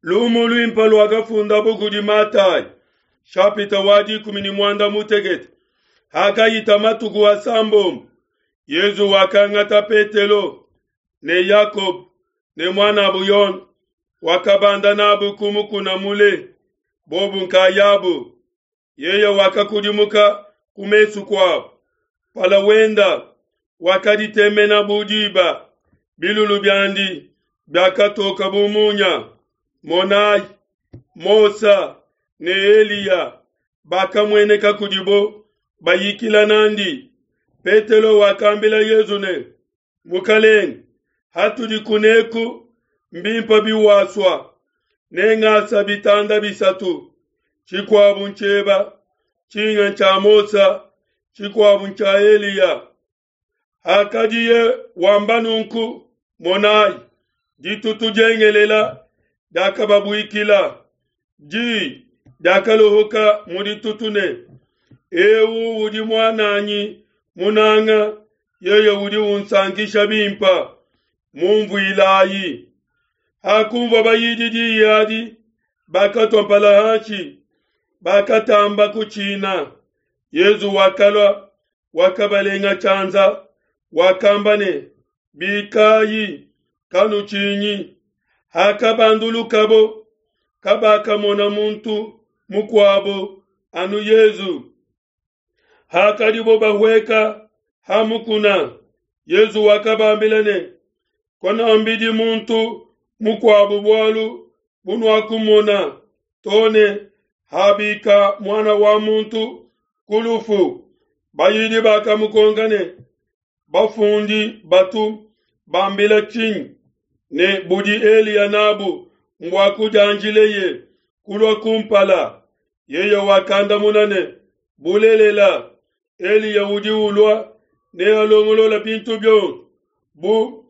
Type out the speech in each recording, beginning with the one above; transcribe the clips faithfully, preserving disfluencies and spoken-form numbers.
Lumu luimpe luakafundabo kudi Matayi, shapita wa dikumi ne muanda mutekete. Hakahita matuku asambombo, Yesu wakangata Petelo ne Yakobo ne muanabo Yone, wakabanda nabo ku mukuna mule, bobo nkayabo. Yeye wakakudimuka ku mesu kuabo, mpala wenda wakaditemena bu diba, bilulu biandi biakatoka bu munya. Monai, Mose ne Eliya bakamueneka kudibo bayikila nandi. Petelo wakambila Yesu ne, Mukelenge, hatudi kuneku mbimpe biwasua, nengasa bitanda bisatu, tshikuabu ntshieba, tshinga ntshia Mose, tshikuabu ntshia Eliya. Hakadiye wamba nunku, monai, ditutu diengelela diakababuikila. Di diakalohoka mu ditutu ne, Eu udi muananyi munanga, yeye udi unsankisha bimpe, mumvuilayi. Hakunvua bayidi diyi adi, bakatua mpala hanshi, bakatamba kutshina. Yesu wakalua, wakabalenga tshianza, wakamba ne, Bikayi, kanutshinyi. Hakabandulukabo, kabakamona muntu mukuabo anu Yesu. Hakadibo bahueka ha mukuna, Yesu wakabambila ne, Kanuambidi muntu mukuabo bualu bunuakumona to ne habika Muana wa Muntu ku lufu. Bayidi bakamukonka ne, Bafundi batu bambila tshinyi ne budi Eliya nabu mbua kudianjileye kulua kumpala? Yeye wakandamuna ne, Bulelela, Eliya udi ulua nealongolola bintu bionso bu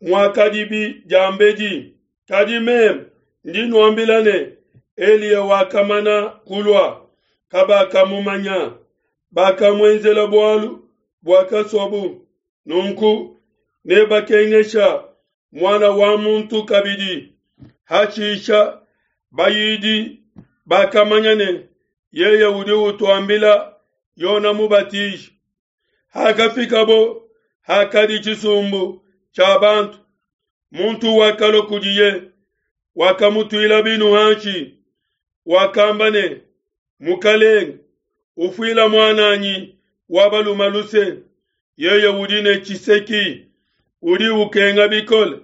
muakadibi diambedi. Kadi meme ndi nuambila ne, Eliya wakamana kulua, kabakamumanya, bakamuenzela bualu buakasuabu. Nunku nebakengesha Muana wa Muntu kabidi. Hashisha bayidi bakamanya ne, yeye udi utuambila Yona Mubatiji. Hakafikabo hakadi tshisumbu tshia bantu, muntu wakalua kudiye, wakamutuila binu hanshi, wakamba ne, Mukelenge, ufuila muananyi wa balume luse, yeye udi ne tshiseki, udi ukenga bikole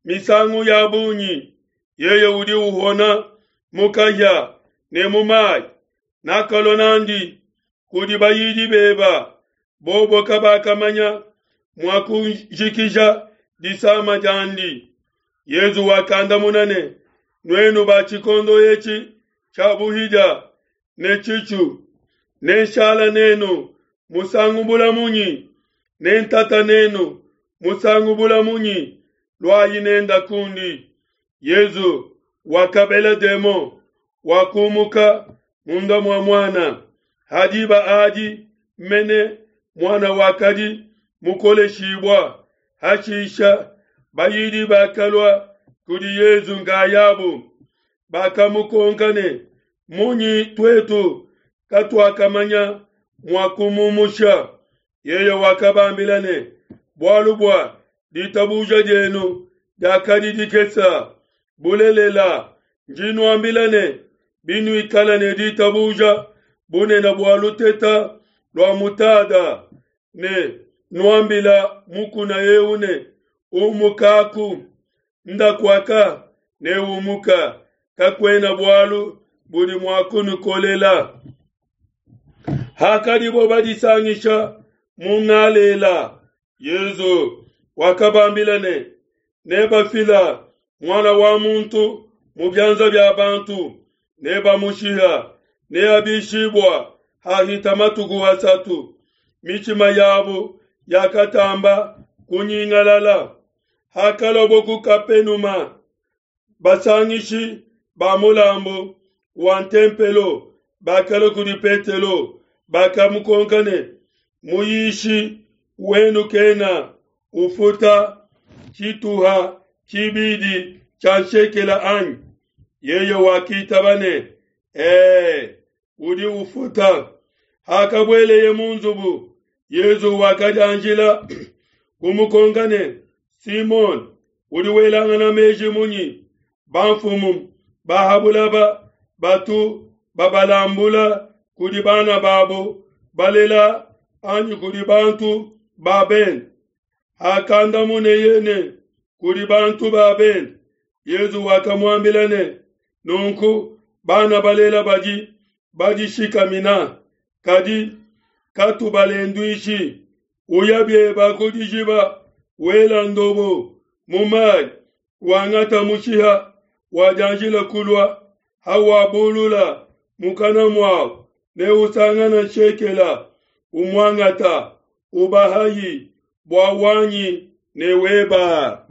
misangu ya bungi, yeye udi uhona mu kahia ne mu mai. Nakalua nandi kudi bayidi beba, bobo kabakamanya mua kujikija disama diandi. Yesu wakandamuna ne, Nuenu ba tshikondo etshi tshia buhidia ne tshitshu, nenshala nenu musangu bula munyi? Nentata nenu musangu bula munyi? Luayi nenda kundi. Yesu wakabela demon, wakumuka munda mua muana. Hadiba adi mene muana wakadi mukoleshibua. Hashisha bayidi bakalua kudi Yesu nkayabo, bakamukonka ne, Munyi tuetu katuakamanya mua kumumusha? Yeye wakabambila ne, Bualu bua ditabuja dienu diakadi dikese. Bulelela, ndi nuambila ne, binuikala ne ditabuja bunene bua luteta lua mutada, ne nuambila mukuna eu ne, Umukaku, ndakuaka, ne umuka, kakuena bualu budi mua kunukolela. Hakadibo badisangisha mu Ngalela, Yesu wakabambila ne, Nebafila Muana wa Muntu mu bianza bia bantu, nebamushiha, neabishibua hahita matuku asatu. Mitshima yabo yakatamba kunyingalala. Hakaluabo ku Kapenuma, basangishi ba mulambu wa ntempelo bakalua kudi Petelo, bakamukonka ne, Muyishi wenu kena ufuta tshituha tshibidi tshia nshekela anyi? Yeye wakitaba ne, Ee, udi ufuta. Hakabueleye mu nzubu, Yesu wakadianjila kumukonka ne, Simone, udi welangana meji munyi? Bamfumu ba ha bulaba batu babalambula kudi bana babo balela anyi kudi bantu ba bende? Hakandamuneye ne, Kudi bantu ba bende. Yesu wakamuambila ne, Nunku bana balela badi badishikamina, kadi katubalenduishi. Uya bieba ku dijiba, wela ndobo mu mai, wangata mushiha wadianjila kulua, hawabulula mukana muau, neusangana nshekela, umuangata, ubahayi bua wanyi ne weba.